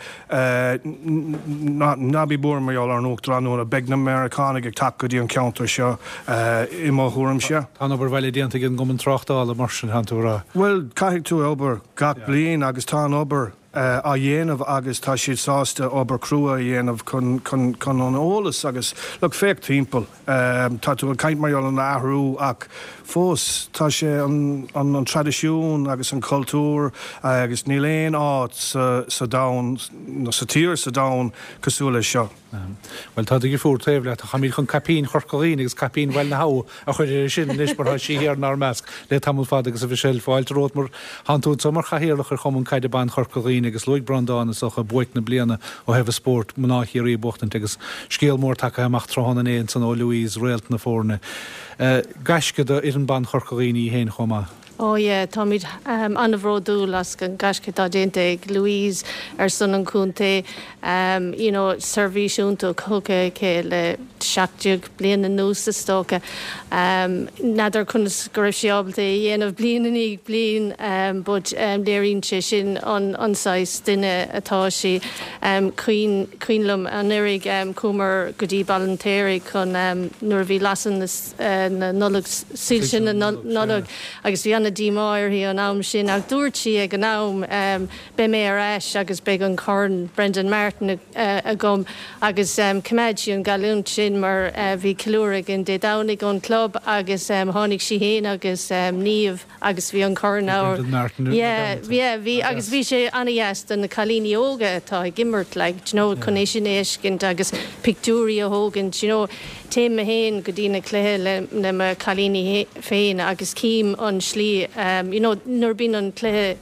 ná bí buartha mar gheall ar an Uachtarán nua, beidh na Meiriceánaigh ag teacht go dtí an ceantar seo i mo thuairimse. Tá an obair bhaile déanta ag an gCumann Tráchtála mar sin, tánn tú a rá? Bhuel, caithfidh tú obair gach bliain agus tá an obair á dhéanamh agus tá siad sásta obair crua a dhéanamh chun chun chun an eolas agus look féach timpeall tá tú ag caint mar gheall ar an athrú ach fós tá sé an an an traidisiún agus an cultúr agus níl aon áit sa sa domhan nó sa tír sa domhan cosúil leis seo. Bhuel tá do dheirfiúr taobh leat, táimid chun caipín Chorca Dhuibhne agus caipín Bhaile na hAbha a chur uirthi sin anois mar tá sí thiar inár measc le tamall fada agus a Mhichelle fáilte romhat mar tánn tú anseo mar chathaoirleach ar Chumann Caide Ban Chorca Dhuibhne agus luaigh Breandán is dócha buaic na bliana ó thaobh an spóirt mná Chiarraí a buachtaint agus scéal mór tagtha amach tráthnóna inné ansan ó Louise, réalt na foirne. Gaisce do fhoireann ban Chorca Dhuibhne í féin chomh maith. Oh yeah, táimid an-bhródúil as an gaisce atá déanta ag Louise ar son an chontae. You know, seirbhís iontach tugtha aici le seacht déag bliain anuas is dócha. N'fheadar conas go raibh sí ábalta é a dhéanamh bliain i ndiaidh bliain but léiríonn sé sin an an saghas duine atá sí. Cuimhin cuimhin liom anuraidh chuamar go dtí Baile an tSaoraigh chun nuair a bhí lasadh na na Nollag, soilse na Nollag agus bhí an-díomá uirthi an am sin ach dúirt sí ag an am beidh mé ar ais agus beidh an corn Brendan Martin agam agus choimeád sí an geallúint sin mar bhí ceiliúradh againn Dé Domhnaigh ón club agus tháinig sí féin agus Niamh agus bhí an corn Yeah, yeah, bhí agus bhí sé an-deas do na cailíní óga atá ag imirt like, do you know, chun é sin a fheiscint agus pictiúirí a thógaint, you know, téim mé féin go dtí na cluiche le le mo chailíní féin agus cím an slí um, you know, nuair bíonn an cluiche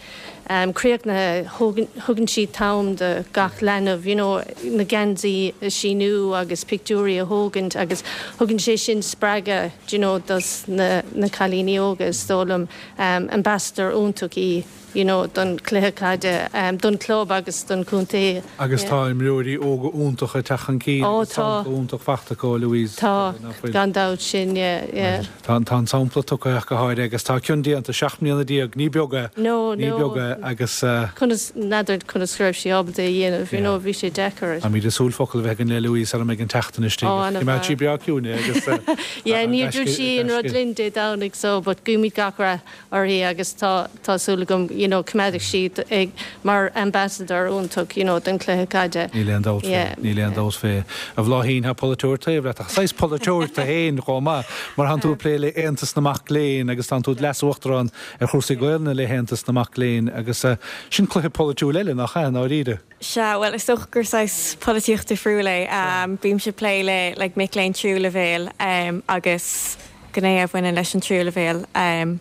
um, críochnaithe thugann siad t-am do gach leanbh, you know, na geansaí a síniú agus pictiúirí a thógaint agus thugann sé sin spreagadh you know, dos na, na cailíní óga is dóigh liom um, ambassador iontach í you know, don cluiche caide um, don club agus don chontae. Agus tá imreoirí óga iontacha ag teacht chun cinn Ó tá. iontach fachta ó Louise. Tá gan dabht sin yeah, yeah. Tá tá an sampla tugtha go háirithe agus tá cion déanta seacht mbliana déag ní beag é No, ní no. beag é agus uh, Conas n'fheadar conas go raibh sí ábalta é a dhéanamh, you know, bhí sé deacair. Tá míad súil focail bheith an le Louise ar an an teachtain istigh. Ó, ana Go sí breá ciúin agus uh, Yeah, ní dúirt sí an rud linn Dé Domhnaigh so, but guímid gach rath uirthi agus tá tá súil agam you know, coimeádfaidh siad ag mar ambassador iontach you know, don cluiche caide. Níl aon dabht Yeah. níl aon dabht fé. A Bhláithín tá polaiteoir taobh leat ach saghas polaiteoir tú féin chomh maith mar tánn tú ag plé le Aontas na Mac Léinn agus tánn tú leas-uachtarán ar chúrsaí Gaelainne le hAontas na Mac Léinn agus uh, sin cluiche polaitiúil eile nach ea dáiríre. Sea, well is dócha gur saghas polaitíocht difriúil é. Um, Bímse ag plé le like, mic léinn tríú leibhéal um, agus gné a bhaineann leis an tríú leibhéal um,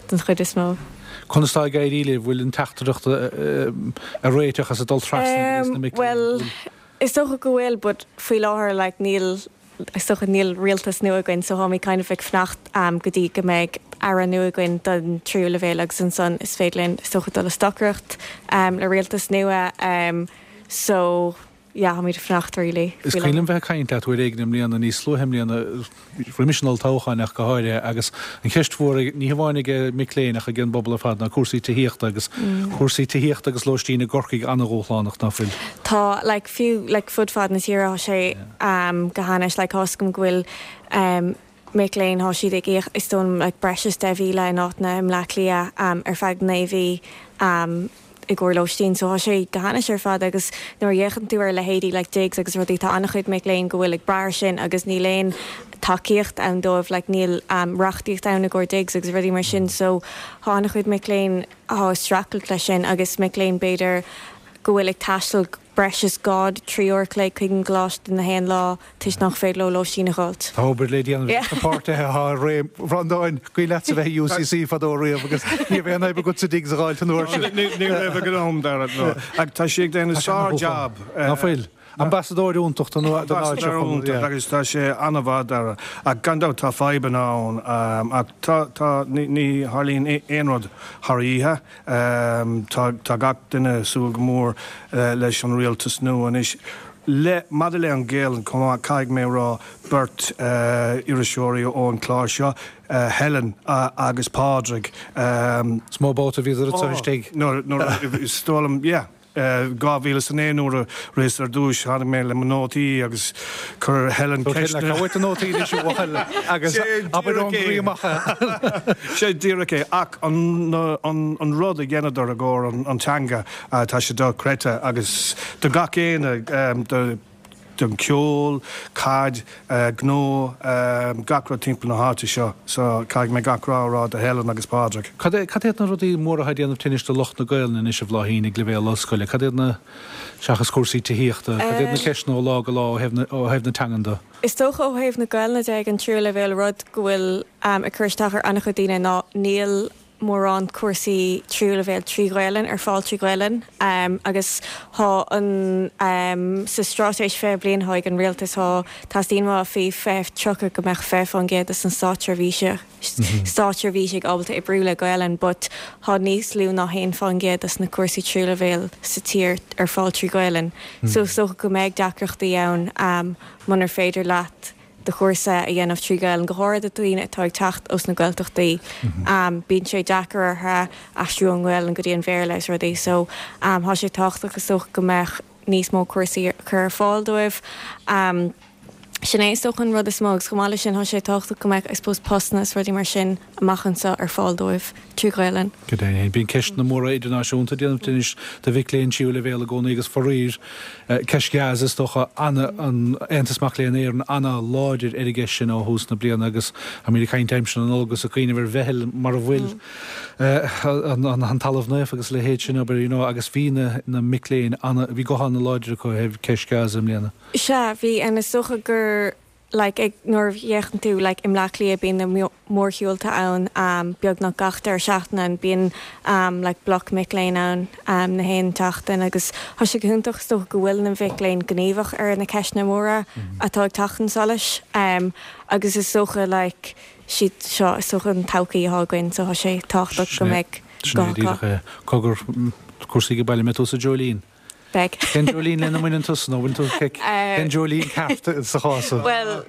den chuid is mó. Conas tá ag éirí libh bhfuil an teachtaireacht a réiteach as a dul trasna na mic léinn? Well, is dócha go bhfuil, but faoi láthair like níl is dócha níl rialtas nua againn so táimid kind of ag fanacht um, go dtí go mbeidh aire nua againn don tríú leibhéal agus ansan is féidir linn is dócha dul a stocaireacht um, le rialtas nua um, so yeah, táimid ag fanacht really. Is cuimhin liom bheith ag caint leat uair éigin i mbliana níos luaithe i mbliana roimis an olltoghchán ach go háirithe agus an cheist mhór ní hamháin ag mic léinn ach ag an bpobal ar fad ná cúrsaí tithíochta agus cúrsaí tithíochta agus lóistín i gCorcaigh an-dhúshlánach ná fuil. Tá like fiú like fud fad na tíre tá sé um, go hainnis like tá a fhios agam go bhfuil um, mic léinn tá siad ag íoc is dóigh liom like breis is deich mhíle in áiteanna i mBleá Cliath um, ar feadh naoi mhí um, i gcomhair lóistín so tá sé go hainnis ar fad agus nuair a fhéachann tú ar leithéidí like digs agus rudaí tá an-chuid mic léinn go bhfuil ag brath air sin agus níl aon tacaíocht ann dóibh like níl um, reachtaíocht ann i gcomhair digs agus rudaí mar sin so tá an-chuid mic léinn atá ag streachailt leis sin agus mic léinn b'fhéidir go bhfuil ag taisteal breis is dhá trí uair chloig chuig an gcoláiste na haon lá toisc nach féidir leo lóistín a fháilt. Tá obair le déanamh na páirtithe atá i réim Bhreandáin cuimhin leatsa bheith i UCC fadó riamh agus ní bheith an obair agat sa digs a fháilt an uair sin. Ní raibh ag an am Dara no. Ach tá sé ag déanamh sár-job. Ná fuil. Ambasadóir iontach don áit Ambasadóir iontach agus tá sé an-mhaith Dara. Ach gan dabht tá fadhbanna ann ach tá tá ní ní tharlaíonn aon rud thar oíche. Tá tá gach duine ag súil go mór leis an rialtas nua anois. Le maidir le an Ghaelainn chomh maith caithfidh mé a rá beirt iriseoirí ón chlár seo, Helen agus Pádraig. Is mó babhta a bhíodar anseo istigh. Nuair nuair is dóigh liom yeah. dhá mhíle is a naoi nuair a rith ar dtúis tháinig mé le mo nótaí agus chuir Helen ceisteanna. Cá bhfuil na nótaí anois a bhuachaill agus abair ón gcroí amach é. Sé díreach é ach an an rud a dheineadar i gcomhair an teanga tá sé dochreidte agus do gach éinne do don ceol, caid, gnó, gach rud timpeall na háite seo. So caithfidh mé gach rath a rá do Helen agus Pádraig. Cad é, cad iad na rudaí móra atá ag déanamh tinnis do lucht na Gaelainne anois a Bhláithín ag leibhéal ollscoile? Cad iad na, seachas cúrsaí tithíochta, cad iad na ceisteanna ó lá go lá ó thaobh na, ó thaobh na teangan de? Is dócha ó thaobh na Gaelainne de ag an tríú leibhéal rud go bhfuil ag cur isteach ar an-chuid daoine ná níl mórán cúrsaí tríú leibhéal trí Ghaelainn ar fáil trí Ghaelainn agus tá an sa straitéis fiche bliain atá ag an rialtas tá teastaíonn uathu faoi fiche tríocha go mbeadh fiche faoin gcéad de na státseirbhíse státseirbhísigh ábalta oibriú le Gaelainn but tá níos lú ná haon faoin gcéad de na cúrsaí tríú leibhéal sa tír ar fáil trí Ghaelainn so is dócha go mbeidh deacrachtaí ann munar féidir leat do chúrsa a dhéanamh trí Ghaelainn, go háirithe do dhaoine atá ag teacht ós na Gaeltachtaí. Bíonn sé deacair orthu aistriú ón nGaelainn go dtí an Bhéarla is rudaí so tá sé tábhachtach is dócha go mbeadh níos mó cúrsaí cur ar fáil dóibh. Sin é is dócha an rud is mó agus chomh maith leis sin tá sé tábhachtach go mbeadh I suppose postanna is rudaí mar sin amach anseo ar fáil dóibh trí Ghaelainn. Go deimhin, bíonn ceisteanna móra idirnáisiúnta ag déanamh tinnis do mhic léinn tríú leibhéal i gcónaí agus faraor, ceist Gaza is dócha, ana, an Aontas Mac Léinn Éireann ana-láidir ar an gceist sin ó thús na bliana agus táimid ag caint aimsir na Nollag agus ag cuimhneamh ar Bheithil mar a bhfuil an, an, an Talamh Naofa agus a leithéid sin, abair, you know, agus bhí na, na mic léinn ana, bhí guth ana-láidir acu ó thaobh ceist Gaza i mbliana. Sea, bhí, and is dócha gur like ag nuair a fhéachann tú like i mBleá Cliath bíonn na mórshiúlta ann um beagnach gach deireadh seachtaine and bíonn um like bloc mic léinn ann um na haon tseachtain agus tá sé go hiontach is dócha go bhfuil na mhic léinn gníomhach ar na ceisteanna móra atá ag teacht chun solais um agus is dócha like siad seo is dócha an todhchaí atá againn so tá sé tábhachtach go mbeidh Sin é guth acu. díreach é. Cogar, cúrsaí ag baile, mbeidh tú sa Dreoilín? Beidh. Cén Dreoilín lena mbaineann tusa nó bhfuil tú cén Dreoilín ceart sa chás seo? Bhuel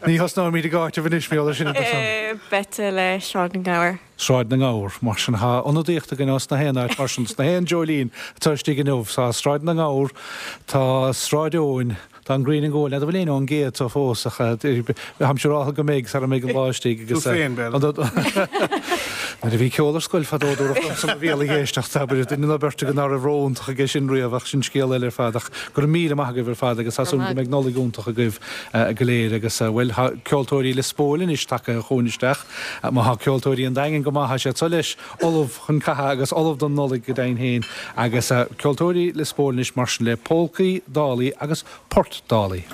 Ní thosnóimid ag áiteamh anois mar gheall air sin a Eh, Beidh le Sráid na nGabhar. Sráid na nGabhar, mar sin tá ionadaíocht againn as na haon áit mar sin sna haon Dreoilín atá istigh inniu. Tá Sráid na nGabhar, tá Sráid Eoin, Tá an ghrian ag gabháil, n'fheadar bhfuil éinne ón gcéad seo fós ach táimse ag rá go mbeidh sara mbeidh an lá istigh Tú agus féin, b'fhéidir. Nuair a bhí ceol ar scoil fadó dúradh liomsa mo bhéal ag éisteacht, abair, duine nó beirt againn ná raibh ró-iontach aige sin riamh ach sin scéal eile ar fad ach go raibh míle maith agaibh ar fad agus tá súil go mbeidh Nollaig iontach agaibh go léir agus bhuel tá ceoltóirí Lios Póil anois tagtha chugainn isteach. Má tá ceoltóirí an Daingin go maith tá siad seo leis ullamh chun catha agus ullamh don Nollaig go deimhin féin agus ceoltóirí Lios Póil anois mar sin le Polcaí, Dálaí agus Port Dálaí.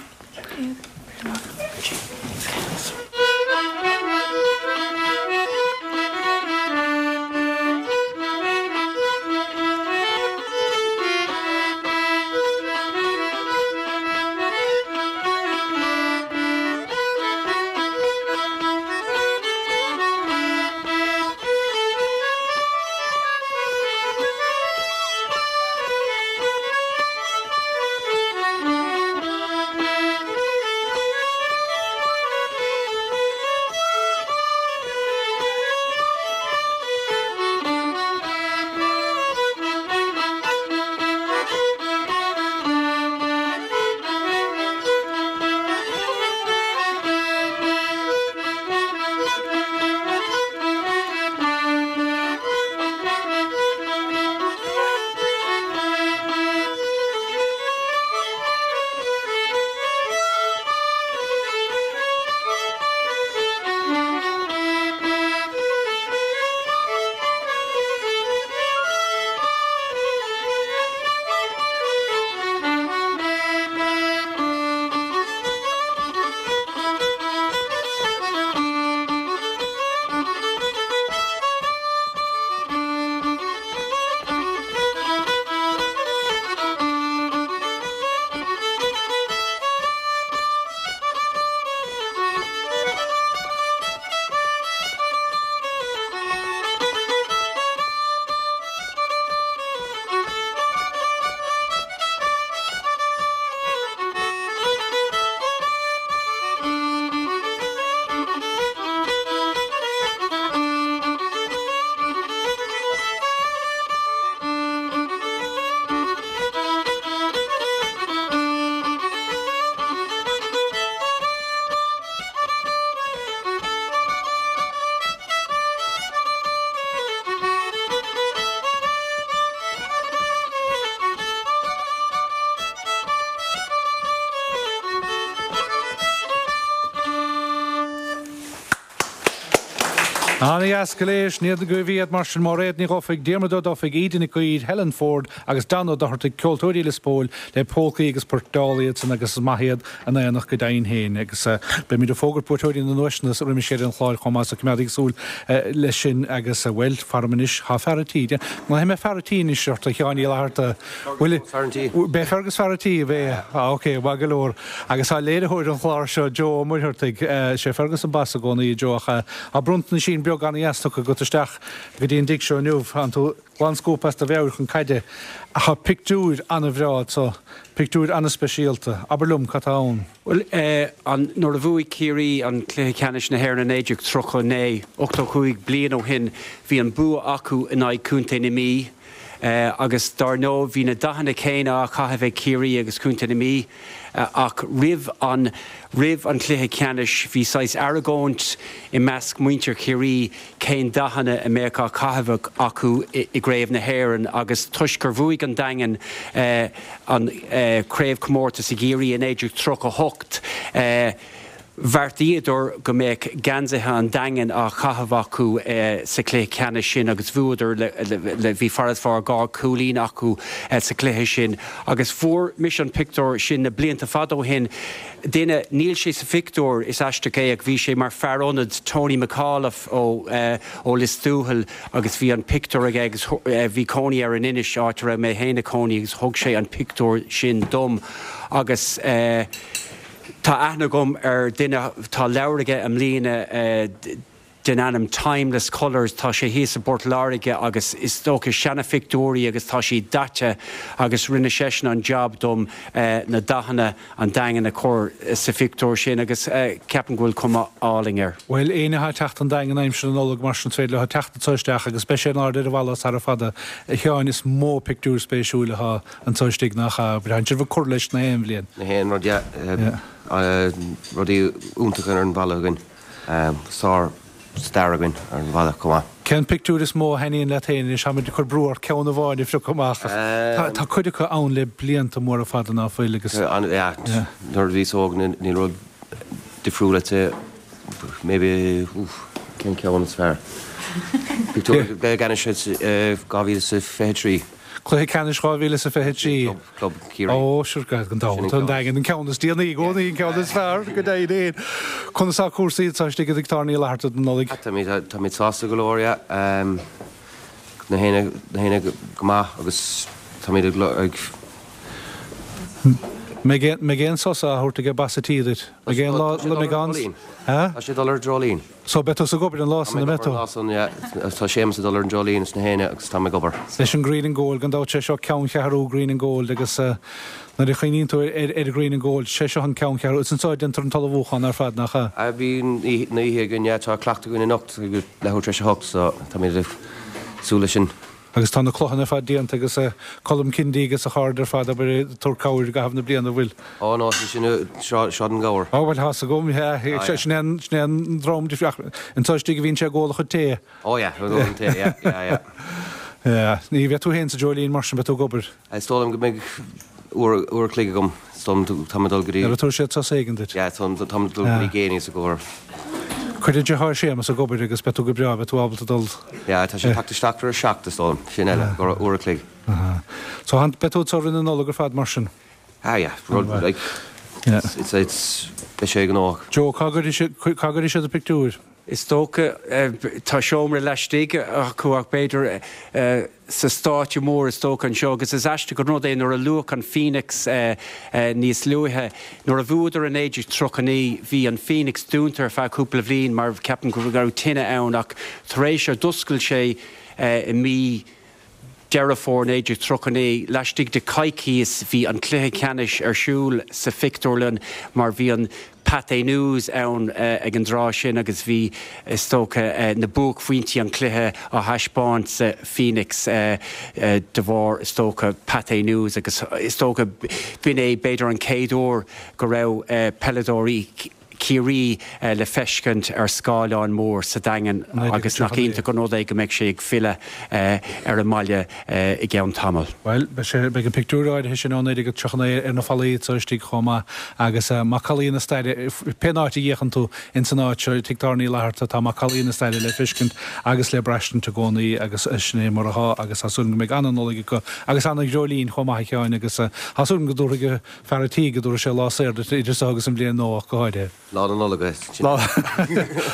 Ana-dheas go léir, sin iad na guibh iad mar sin Máiréad Ní Dhufaigh, Diarmuid Ó Dufaigh, Íde Nic Uidhir, Helen Ford agus Dan Ó Dochartaigh, Ceoltóirí Lios Póil le polcaí agus poirt dála iad san agus is maith iad in aonach go deimhin féin agus beimid ag fógairt buaiteoirí na nduaiseanna roimis dheireadh an chláir chomh maith so coimeádaigí súil leis sin agus bhuel, faram anois, tá fear an tí, glaofaidh mé fear an tí anois ort a Sheáin Uí Fhlatharta. Bhuel, Beidh Fergus fear an tí, beidh, ah ok, maith go leor. Agus tá léiritheoir an chláir seo Joe Ó Muircheartaigh, sé Fergus an boss i gcónaí Joe ach tá bronntanaisín beag an-dheas tugtha agat isteach go dtí an dtigh seo inniu. Tá tú glan scuabtha as do mheabhair chun caide. Ach tá pictiúir an-bhreá anso, pictiúir an-speisialta. Abair liom cad tá ann. Bhuel, an, nuair a bhuaigh Ciarraí an Cluiche Ceannais na hÉireann i naoi déag tríocha a naoi, ochtó cúig bliain ó shin, bhí an bua acu in aghaidh Contae na Mí agus dár ndóigh bhí na dathanna céanna á chaitheamh ag Ciarraí agus Contae na Mí ach roimh an roimh an chluiche ceannais bhí saghas argóint i measc muintir Chiarraí cén dathanna a mbeadh á chaitheamh acu i gCraobh na hÉireann agus toisc gur bhuaigh an Daingean an craobhchomórtas i gCiarraí i naoi déag tríocha a hocht Bheartaíodar go mbeadh geansaithe an Daingin á chaitheamh acu sa chluiche ceannais sin agus bhuadar le, bhí farasbarr dhá chúilín acu sa chluiche sin agus fuair mise an pictiúr sin na blianta fada ó shin. Duine, níl sé sa phictiúr, is aisteach é ach bhí sé mar fear ionaid Tony McAuliffe ó ó Lios Tuathail agus bhí an pictiúr aige agus bhí cónaí air in Inis, áit a raibh mé féin ag cónaí agus thug sé an pictiúr sin dom agus. Tá aithne agam ar duine, tá leabhar aige i mbliana den ainm Timeless Colours, tá sé thíos i bPort Láirge agus is dócha seanaphictiúirí agus tá siad daite agus rinne seisean an jab dom na dathanna an Daingin a chur sa phictiúr sin agus ceapaim go bhfuil cuma álainn air. Bhuel, éinne atá ag teacht an Daingean aimsir na Nollag mar sin is féidir leo teacht anseo isteach agus beidh sé in airde ar an bhalla sara fada. A Sheáin, is mó pictiúr spéisiúil atá anseo istigh nach ea? Braitheann sibh ag cur leis na haon bhliain. Na haon rud, yeah. Rudaí iontacha ar an bhalla againn. Sár stair againn ar an bhalla chomh maith. Cén pictiúr is mó a thaitníonn leat féin anois? Táimid ag cur brú ort ceann amháin a phiocadh amach ach tá cuid acu ann le blianta móra fada ná fuil agus. Yeah, nuair a bhíos óg níl rud difriúil let's say maybe oof cén ceann is fearr? Pictiúr ceannais dhá mhíle is a fiche trí. Cluiche Ceannais dhá mhíle is a fiche trí. Club, Club Ciarraí. Ó, sure, gan dabht, an Daingean, an ceann is déanaí i gcónaí, an ceann is fearr, go deimhin féin. Conas tá cúrsaí anseo istigh i dTigh Tábhairne Uí Fhlatharta don Nollaig? Táimid, táimid sásta go leor, yeah. Na héinne, na héinne go maith agus táimid ag, ag. Mbeidh aon, mbeidh aon sos á thabhairt ag boss an tí duit? Mbeidh aon lá, mbeidh an, ha? Tá sé ag dul ar an dreoilín. So beidh tusa ag obair an lá san, an mbeidh tú? Tá mé ag obair an lá san, yeah. Tá Séamus ag dul ar an dreoilín is na héinne agus tá mé ag obair. Leis an Green and Gold, gan dabht, sé seo ceanncheathrú Green and Gold agus nuair a chuimhníonn tú ar ar Green and Gold, sé seo an ceanncheathrú. Is anseo a déantar an t-ullmhúchán ar fad, nach ea? Ah, bíonn na oíche againn, yeah. Tá cleachtadh againn anocht ag leathuair tar éis a hocht so táimid ag súil leis sin. Agus tá na cloicheanna ar fad déanta agus Colm Kindi agus a chairde ar fad abair ag tabhairt cabhair i gcaitheamh na bliana, an bhfuil? Ó no, sin Sráid an Ghabhair. Ó bhuel, tá's agam, yeah, sin é an, sin é an dream difriúil, ach anseo istigh a bhíonn sé ag ól a chuid tae. Ó yeah, ag ól an tae, yeah, yeah, yeah. Yeah, ní bheidh tú féin sa dreoilín mar sin, beidh tú ag obair. Is dóigh liom go mbeidh uair, uair a chloig agam, is dóigh liom, tá mé ag dul go dtí. Nuair a tabharfaidh siad sos éigin duit. Yeah, tá mé ag dul go dtí Geaney's i gcomhair. Cuir do dheartháir Séamus ag obair agus beidh tú go breá, beidh tú ábalta dul. Yeah, tá sé ag teacht isteach ar a seacht, is dóigh liom, sin eile, uair a chloig. Aha. So beidh tú anseo roimh na Nollag ar fad mar sin? Ah yeah, rud, like, it's, it's, beidh sé gnóthach. Joe, cá gcuirfidh siad, cá gcuirfidh siad an pictiúr? Is dócha, tá seomra laistigh acu ach b'fhéidir sa stáitse mór is dócha anseo agus is aisteach an rud é nuair a luadh an Phoenix níos luaithe, nuair a bhuadar i naoi déag tríocha naoi bhí an Phoenix dúnta ar feadh cúpla bhliain mar ceapaim go raibh tine ann ach tar éis ar d'oscail sé i mí Deireadh Fómhair naoi déag tríocha naoi, laistigh de choicíos bhí an cluiche ceannais ar siúl sa phictiúrlann mar bhí an Pathé News ann ag an dtráth sin agus bhí, is dócha, na buaicphointí an chluiche á thaispeáint sa Phoenix de bharr, is dócha, Pathé News agus is dócha b'in é b'fhéidir an chéad uair go raibh peileadóirí Ciarraí le feiscint ar scáileán mór sa Daingean agus nach iontach an rud é go mbeidh sé ag filleadh ar an mbaile i gceann tamaill. Bhuel, beidh sé, beidh an pictiúr áirithe sin ó naoi déag tríocha naoi ar na fallaí anseo istigh chomh maith agus macallaí na staire, pén áit a bhféachann tú ins an áit seo, Tigh Tábhairne Uí Fhlatharta, tá macallaí na staire le feiscint agus le braistint i gcónaí agus sin é mar atá agus tá súil agam go mbeidh ana-Nollaig acu agus ana-dhreoilín chomh maith a Sheáin agus tá súil agam go dtabharfaidh fear an tí, go dtabharfaidh sé lá saor duit idir seo agus an bhliain nua ach go háirithe. Lá na Nollag é.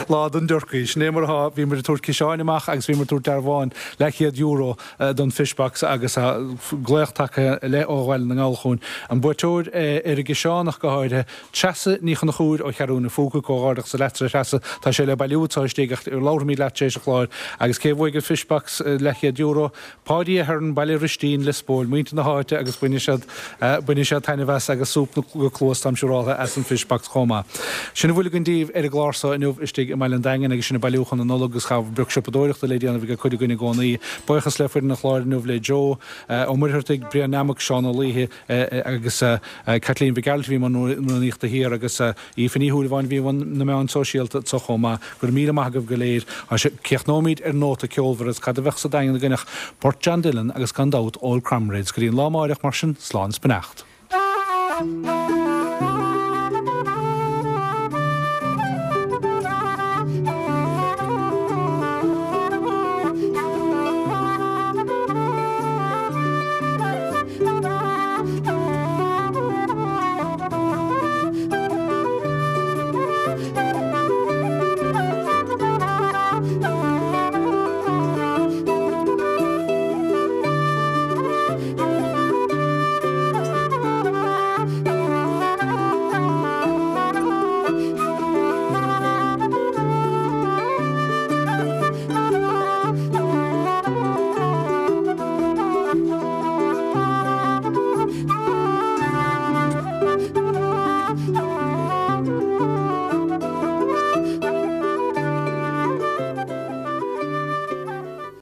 Lá don dturcaí. Sin é mar atá. Bhíomar ag tabhairt ciseáin amach agus bhíomar ag tabhairt dearbháin leathchéad euro don Fishbox agus tá glaoch tagtha le ó Bhaile na nGall chugainn. An buaiteoir ar an gciseán ach go háirithe, Treasa Ní Chonchúir ó Cheathrú na Phúca, comhghairdeachas leat a Threasa. Tá sé le bailiú anseo istigh ach labharfaimid leat tar éis an chláir. Agus cé a bhuaigh an Fishbox leathchéad euro? Páidí Ahern, Baile Ristín, Liospóil, muintir na háite agus bainfidh siad bainfidh siad taitneamh as agus súp go cluas táim siúráltha as an Fishbox chomh maith. Sin a bhfuil againn daoibh ar an gclár so inniu istigh i mBaile an Daingin agus sinn ag bailiú chun na Nollag agus tá beag siopadóireachta le déanamh ag cuid againn i gcónaí. Buíochas le foireann an chláir inniu le Joe Ó Muircheartaigh, Brian Nammock, Seán Ó Laoithe agus Kathleen Mhic Gearailt a bhí i mbun rúnaíochta thiar agus Aoife Ní Shúilleabháin a bhí i mbun na meán sóisialta anso chomh maith. Go raibh míle maith agaibh go léir. Críochnóimid ar nóta ceolmhar agus cad a bheadh sa Daingean againn ach port John Dillon agus gan dabht Old Comrades. Go dtí an lá amáireach mar sin, slán is beannacht.